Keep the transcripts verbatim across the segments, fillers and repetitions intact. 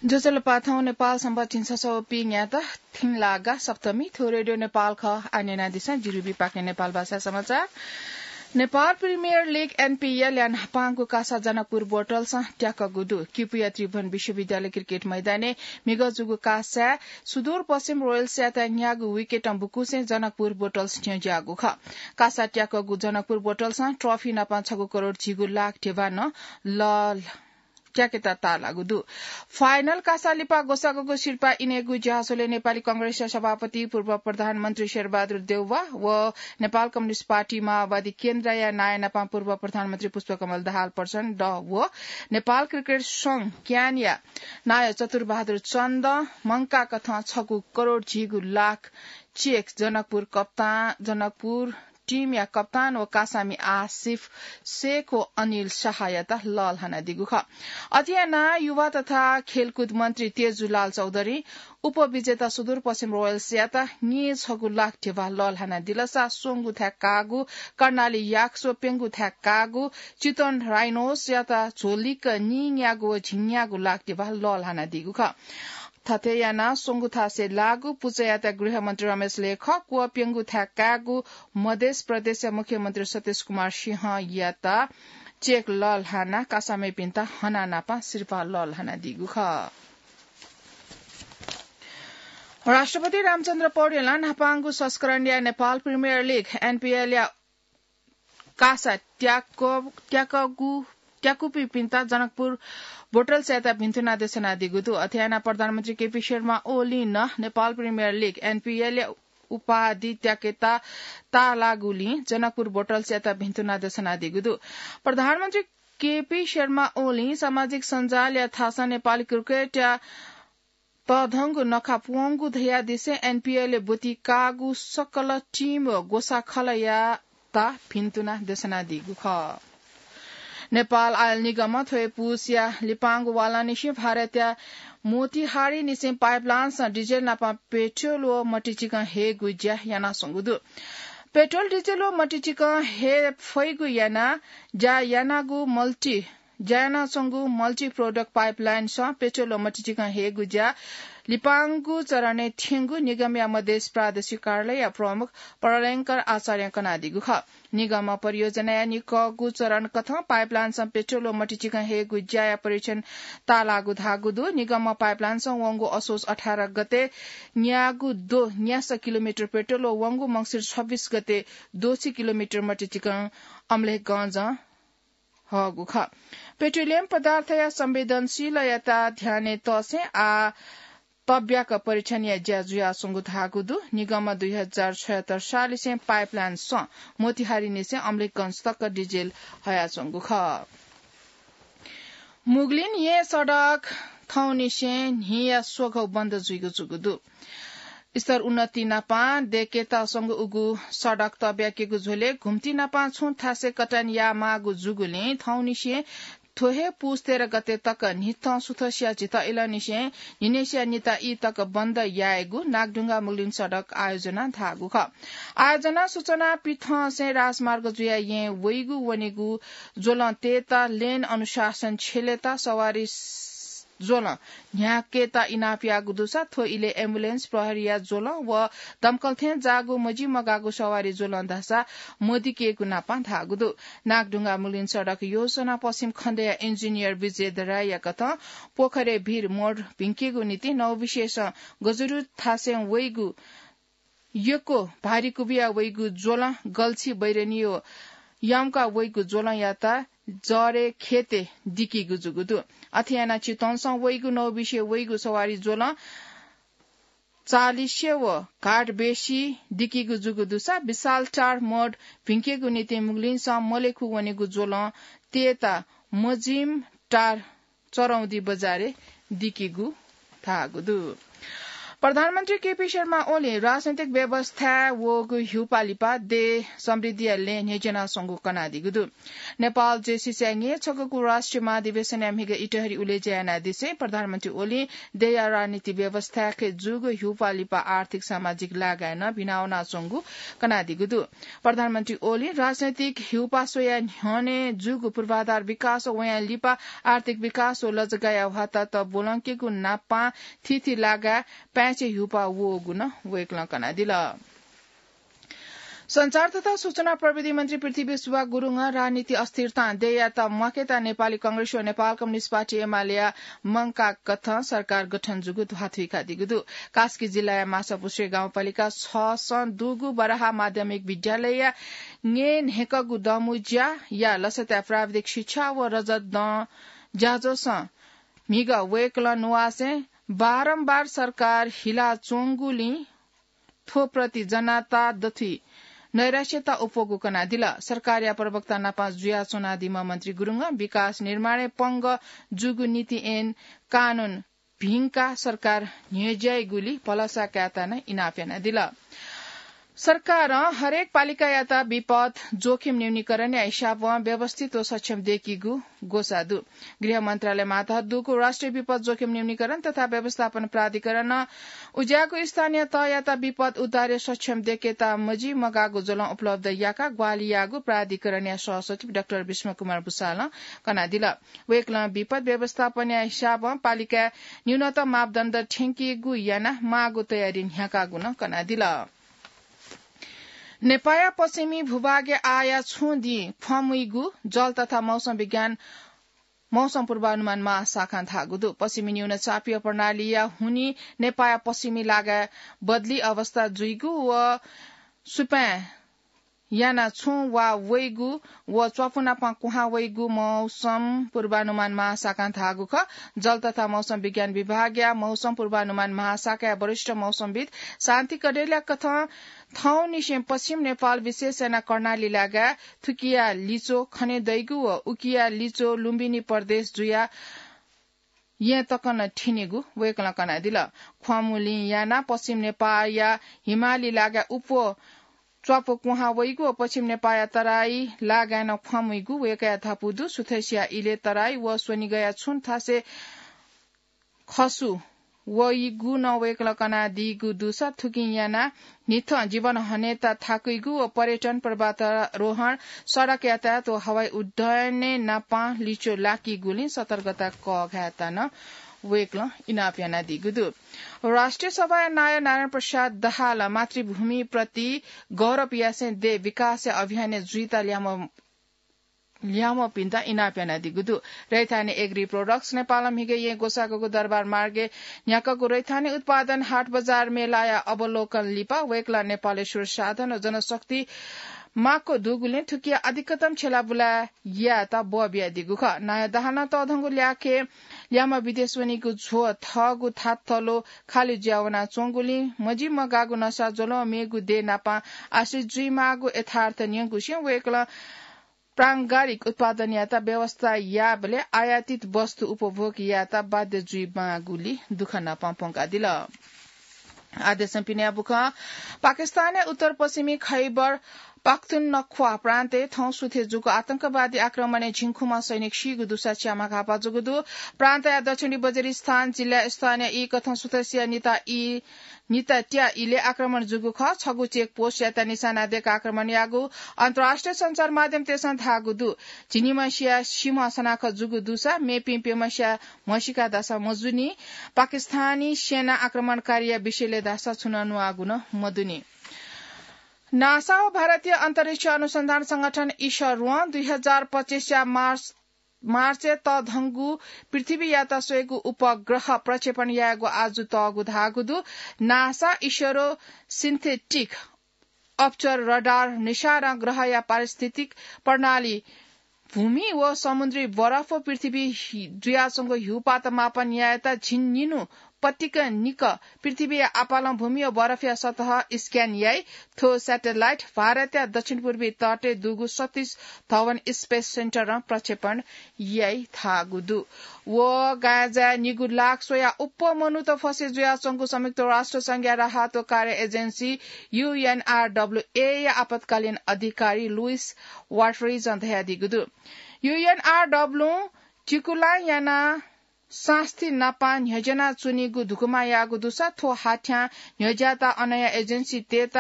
ज्वजलपा, थौं नेपाल संवत् झिंछसः व पीन्यादँ थिंलागा सप्तमी। थ्व रेडियो नेपाल खः। आः न्यनादिसँ, जिरुबी पाखें नेपाल भाषा समाचार। नेपाल प्रिमियर लिग, एनपीएल या न्हापांगु कासा जनकपुर बोटल्सं त्याकःगु दु। किपुया त्रिभुवन विश्वविद्यालय क्रिकेट मैदानय् म्हिगः जूगु कासाय् सुदूरपश्चिम रोयल्सयात न्यागू विकेटं बुकुसें जनकपुर बोटल्स न्ह्यज्याःगु खः। कासा त्याकःगु जनकपुर बोटल्सं ट्रफी नाप छगू करोड झिगू लाख ध्यबा नं ल- त्याकेत ताःलाःगु दु। फाइनल कासा लिपा ग्वसाःगु सिरपाः इनेगु ज्याझ्वलय् नेपाली कांग्रेसया सभापति पूर्व प्रधानमन्त्री शेरबहादुर देउवा व नेपाल कम्युनिस्ट पार्टी माओवादी केन्द्रया नायः नाप पूर्व प्रधानमन्त्री पुष्पकमल दाहाल प्रचण्ड व नेपाल क्रिकेट संघ, क्यानया नायः चतुरबहादुर चन्दं मंकाःकथं छगू करोड झिगू लाख चेक जनकपुर कप्तान, जनकपुर टिमया कप्तान व कासामि आसिफ शेख व अनिल शाहयात लःल्हानादीगु खः। अथे यानाः युवा तथा खेलकुद मन्त्री तेजुलाल चौधरीं उपविजेता सुदूरपश्चिम रोयल्सयात नीछगू लाख ध्यबा लःल्हानादिलसा स्वंगू थाय् काःगु कर्णाली याक्स व प्यंगू थाय् काःगु चितवन राइनोसयात झ्वलिक नीन्यागू व झिंन्यागू लाख ध्यबा लःल्हानादीगु खः। थथे यानाः स्वंगू थासय् लाःगु पुचःयात गृहमन्त्री रमेश लेखक व प्यंगू थाय् काःगु मध्य प्रदेशया मुख्यमन्त्री सतीश कुमार सिंहयात चेक लःल्हानाः कासामिपिन्त हनाः नाप सिरपाः लःल्हानादीगु खः। राष्ट्रपति रामचन्द्र पौडेलं न्हापांगु संस्करणया नेपाल प्रिमियर लिग, एनपीएल या कासा त्याक-, त्याकःगु, त्याकूपिन्त जनकपुर बोटल्सयात भिन्तुना देछानादीगु दु। अथे यानाः प्रधानमन्त्री केपी शर्मा ओलीं नं नेपाल प्रिमियर लिग, एनपीएल या उपाधि त्याकेत ताःलाःगुलिं जनकपुर बोटल्सयात भिन्तुना देछानादीगु दु। प्रधानमन्त्री केपी शर्मा ओलीं सामाजिक सञ्जालया थासं नेपाली क्रिकेटया तःधंगु नखा प्वंगु धयादिसें एनपीएलय् ब्वति काःगु सकल टिम व ग्वसाः खलःयात भिन्तुना देछानादीगु खः। नेपाल आयल निगमं थ्व हे पुसया लिपांगु वालांनिसें भारतया मोतिहारीनिसें पाइपलाइनसं डिजेल नाप पेट्रोल व मतिचिकं हयेगु ज्या यानाच्वंगु दु। पेट्रोल, डिजेल व मतिचिकं हये फइगु यानाः ज्या यानागु मल्टी ज्या यानाच्वंगु मल्टी प्रोडक्ट पाइपलाइनसं पेट्रोल व मतिचिकं हयेगु ज्या लिपांगु चरणय् थ्यंगु निगमया मधेस प्रादेशिक कार्यालयया प्रमुख प्रलयंकर आचार्यं कनादीगु खः। निगमं परियोजनाया निकःगु चरण कथं पाइपलाइनसं पेट्रोल व मतिचिकं हयेगु ज्याया परीक्षण ताःलाःगु धाःगु दु। निगमं पाइपलाइनसं वंगु असोज अठार गते न्याःगु द्वः न्यासः किलोमिटर पेट्रोल व वंगु मंसिर छब्बीस गते द्वःछि किलोमिटर मतिचिकं अम्लेखगंजं हःगु खः। पेट्रोलियम पदार्थया संवेदनशीलताया ध्यानय् तःसें आः तब्याक परीक्षणया ज्या जुयाच्वंगु धाःगु दु। निगमं दुई हजार छयत्तर सालनिसें पाइपलाइनसं मोतिहारीनिसें अम्लेखगंज तक डिजेल हयाच्वंगु खः। मुगलिन येँ सडक थौंनिसें न्हिया स्वघौ बन्द जुइगु जूगु दु। स्तर उन्नति नापं दय्केत स्वंगु उगु सडक तब्याकेगु झ्वलय् घुम्ति नापं छुं थासय् कटान यायेमाःगु जूगुलिं थौंनिसें थ्व हे पुस तेह्र गते तक न्हिथं सुथसिया झित इलंनिसें न्हिनय्सिया निता ई तक बन्द यायेगु नागढुङ्गा मुगलिन सडक आयोजनां धाःगु खः। आयोजनां सूचना पिथंसें राजमार्ग जुयाः येँ वइगु वनेगु ज्वलं तयेत, लेन अनुशासन छ्यलेत, सवारी ज्वलं न्ह्याकेत इनाप याःगु दुसा थ्व इलय् एम्बुलेन्स, प्रहरीया ज्वलं व दमकल थें जाःगु मजिमगाःगु सवारी ज्वलं धाःसा मदिकेगु नापं धाःगु दु। नागढुङ्गा मुगलिन सडक योजना पश्चिम खण्डया इन्जिनियर विजय दराईया कथं पोखरे भीर मोड भिंकेगु निंतिं नौबिसेसं गजुरु थासय् वइगु यक्व भारी कुबिया वइगु ज्वलं गल्छी बैरनी व याउँका वइगु ज्वलंयात जरे खेते दिकीगु जूगु दु। अथे यानाः चितवनसं वइगु नौबिसे वइगु सवारी ज्वलं चालिसे व घाटबेसी दिकीगु जूगु दुसा विशाल टार मोड भिंकेगु निंतिं मुगलिनसं मलेखु वनेगु ज्वलं तयेत मजिम टार चरौदी बजारय् दिकीगु धाःगु दु। प्रधानमन्त्री केपी शर्मा ओली राजनैतिक व्यवस्थाय् वःगु हिउपाः लिपा देय् समृद्धिया लँय् न्ह्यज्यानाच्वंगु कनादीगु दु। नेपाल जेसीसी न्येछगूगु राष्ट्रिय महाधिवेशनया म्हिगः इटहरी उलेज्या यानादिसें प्रधानमन्त्री ओलीं देय्‌या राजनीति व्यवस्थाय् जूगु हिउपाः लिपा आर्थिक सामाजिक लागाय् नं भिनावनाच्वंगु कनादीगु दु। प्रधानमन्त्री ओलीं राजनैतिक हिउपाः स्वयाः न्ह्यःने जूगु पूर्वाधार विकास व वयां लिपा आर्थिक विकास व लजगाःया ह्वातात ब्वलंकेगु नापं थीथी लागाय् पाय्‌छि हिउपाः वःगु नं वय्‌कलं कनादिल। सञ्चार तथा सूचना प्रविधि मन्त्री पृथ्वी सुवाः गुरुङं राजनीति अस्थिरतां देय्‌यात म्वाकेत नेपाली कांग्रेस व नेपाल कम्युनिस्ट पार्टी एमालेया मंकाः कथं सरकार गठन जूगु ध्वाथुइकादीगु दु। कास्की जिल्लाया माछापुच्छ्रे गाउँपालिका छसं दुगु बराहा माध्यमिक विद्यालयया न्येन्हय्‌कःगु दँमुँज्याया लसताय् प्राविधिक शिक्षा व रजत दँ ज्याझ्वलय् म्हिगः वय्‌कलं नुवासें बारम्बार सरकार हिलाच्वंगुलिं थ्व प्रति जनता दथुइ नैराश्यता अप्वःगु कनादिल। सरकारया प्रवक्ता नाप जुयाच्वनादीम्ह मन्त्री गुरुङं विकास निर्माणय् पंगः जूगु नीति ऐन कानून भिंकाः सरकार न्ह्यज्याइगुलिं भलसा कायेत नं इनाप यानादिल। सरकारं हरेक पालिकायात विपद जोखिम न्यूनीकरणया हिसाबं व्यवस्थित व सक्षम दयेकीगु ग्वसाः दु। गृह मन्त्रालय मातहत दुगु राष्ट्रिय विपद जोखिम न्यूनीकरण तथा व्यवस्थापन प्राधिकरणं उज्याःगु स्थानीय तहयात विपद उद्धारय् सक्षम दयेकेत मजिमगाःगु ज्वलं उपलब्ध याकाः ग्वाहालि याःगु प्राधिकरणया सहसचिव डाक्टर विष्णु कुमार भुसालं कनादिल। वय्‌कलं विपद व्यवस्थापनया हिसाबं पालिकाय् न्यूनतम मापदण्ड थ्यंकीगु यानाः माःगु तयारी न्ह्याकागु नं कनादिल। नेपाःया पश्चिमी भूभागय् आःया छुं दिं ख्वाः मुइगु जल तथा मौसम विज्ञान मौसम पूर्वानुमान महाशाखां धाःगु दु। पश्चिमी न्यूनचापीय प्रणालीया हुनिं नेपाःया पश्चिमी लागाय् बदली अवस्था जुइगु व सुपाँय् यानाः छुं वा वइगु व च्वापु नाप कुहां वइगु मौसम पूर्वानुमान महाशाखां धाःगु खः। जल तथा मौसम विज्ञान विभागया मौसम पूर्वानुमान महाशाखाया वरिष्ठ मौसमविद् शान्ति कडेलया कथं थौंनिसें पश्चिम नेपाल विशेष यानाः कर्णाली लागाय् थुकिया लिच्वः खने दइगु व उकिया लिच्वः लुम्बिनी प्रदेश जुयाः येँ तक नं थिनिगु वय्‌कलं कनादिल। ख्वाःमुलिं यानाः पश्चिम नेपाःया हिमाली लागाय् अप्वः च्वापु कुहां वइगु व पश्चिम नेपाःया तराई लागाय् नं ख्वाः मुइगु वय्‌कःया धापू दु। सुथसिया इलय् तराई व स्वनिगःया छुं थासय् खसु वइगु नं वय्‌कलं कनादीगु दुसा थुकिं यानाः न्हिथं जीवन हनेत थाकुइगु व पर्यटन, पर्वतारोहण, सडक यातायात व हवाई उड्डयनय् नापं लिच्वः लाकीगुलिं सतर्कता कःघायेत नं वय्‌कलं इनाप यानादीगु दु। राष्ट्रिय सभाया नायः नारायण प्रसाद दाहालं मातृभूमिप्रति गौरव यासें देय् विकासया अभियानय् जुइत ल्याम्ह ल्याम्हपिन्त इनाप यानादीगु दु। रैथाने एग्री प्रोडक्ट्स नेपालं म्हिगः येँ ग्वसाःगु दरबार मार्गय् न्ह्याकःगु रैथाने उत्पादन हाट बजार मेलाया अवलोकन लिपा वय्‌कलं नेपालय् स्रोत साधन व जनशक्ति माक्व दुगुलिं थुकिया अधिकतम छ्यला बुला यायेत ब्वः बियादीगु खः। नायः दाहालं तःधंगु ल्याखय् ल्याम्ह विदेश वनीगु झ्वः थःगु थातलो खालि जुयावनाच्वंगुलिं मजिमगाःगु नसा ज्वलं मेगु देय् नाप आश्रित जुइमाःगु यथार्थ न्यंकुसें वय्‌कलं प्रांगारिक उत्पादनयात व्यवस्था याःबलय् आयातित वस्तु उपभोग यायेत बाध्य जुइमाःगुलिं दुःख नाप प्वंकादिल। आदेशं पिने बुखं पाकिस्तानया उत्तर पश्चिमी खैबर पाख्तुनख्वा प्रान्तय् थौं सुथय् जूगु आतंकवादी आक्रमणय् झिंखुम्ह सैनिक सीगु दुसा च्याम्ह घाःपाः जूगु दु। प्रान्तया दक्षिणी वजिरिस्तान जिल्लाय् स्थानीय ई कथं सुथसिया निता ई निता त्या इलय् आक्रमण जूगु खः। छगू चेक पोस्टयात निशाना दय्‌काः आक्रमण याःगु अन्तर्राष्ट्रिय सञ्चार माध्यमतय्‌सं धाःगु दु। झिंनिम्हसिया सिम्ह सनाखत जूगु दुसा मेपिं प्यम्हसिया म्हसीका धाःसा मजूनि। पाकिस्तानी सेना आक्रमणकारीया विषयलय् धाःसा छुं नं न्ववाःगु नं मदुनि। नासा व भारतीय अन्तरिक्ष अनुसन्धान संगठन इसरों दुई हजार पच्चिसया मार्च मार्चय् तःधंगु पृथ्वीयात स्वयेगु उपग्रह प्रक्षेपण यायेगु आजु तःगु धाःगु दु। नासा इसरो सिन्थेटिक अपर्चर रडार निसारं ग्रहया पारिस्थितिक प्रणाली, भूमि व समुद्री बरफ व पृथ्वी हि-, जुयाच्वंगु हिउपाःत मापन यायेत झिंनिन्हु पतिक निक पृथ्वीया आपालं भूमि व बरफया सतह स्क्यान याइ। थ्व स्याटेलाइट भारतया दक्षिण पूर्वी तटय् दुगु सतीश धवन स्पेस सेन्टरं प्रक्षेपण याइ धाःगु दु। व गाँजाय् निगू लाख स्वया उप्प मनूत फसे जुयाच्वंगु संयुक्त राष्ट्र संघया राहत व कार्य एजेन्सी यूएनआरडब्ल्यूए या आपतकालीन अधिकारी लुइस वाटरिजं धयादीगु दु। यूएनआरडब्ल्यूं चिकुला याना सास्ती नापं न्ह्यज्याना च्वनीगु धुकुमा याःगु दुसा थ्व हाथ्यां न्ह्यज्यात अनया एजेन्सीतय्त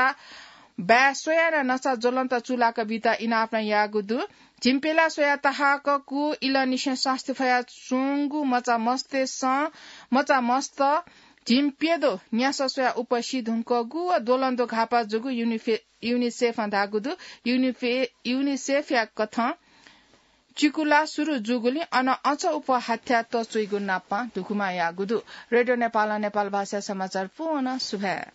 बाय् स्वयाना नसा ज्वलन्त चुलाक बीत इनाप नं याःगु दु। झिंप्यला स्वया तहाककु इलंनिसें सास्ती फया च्वंगु मचा मस्तय्सं, मचा मस्त झिंप्यदो न्यासः स्वया उप्प सी धुंकूगु व द्वलंद्व घाःपाः जूगु युनिफे-, युनिसेफं धाःगु दु। युनिफे-, युनिसेफया कथं चिकुला सुरु जूगुलिं अन अझ उप्प हाथ्या तच्वइगु नापं धुकुमा याःगु दु। रेडियो नेपालं नेपाल भाषा समाचार पूवन सुभाय्।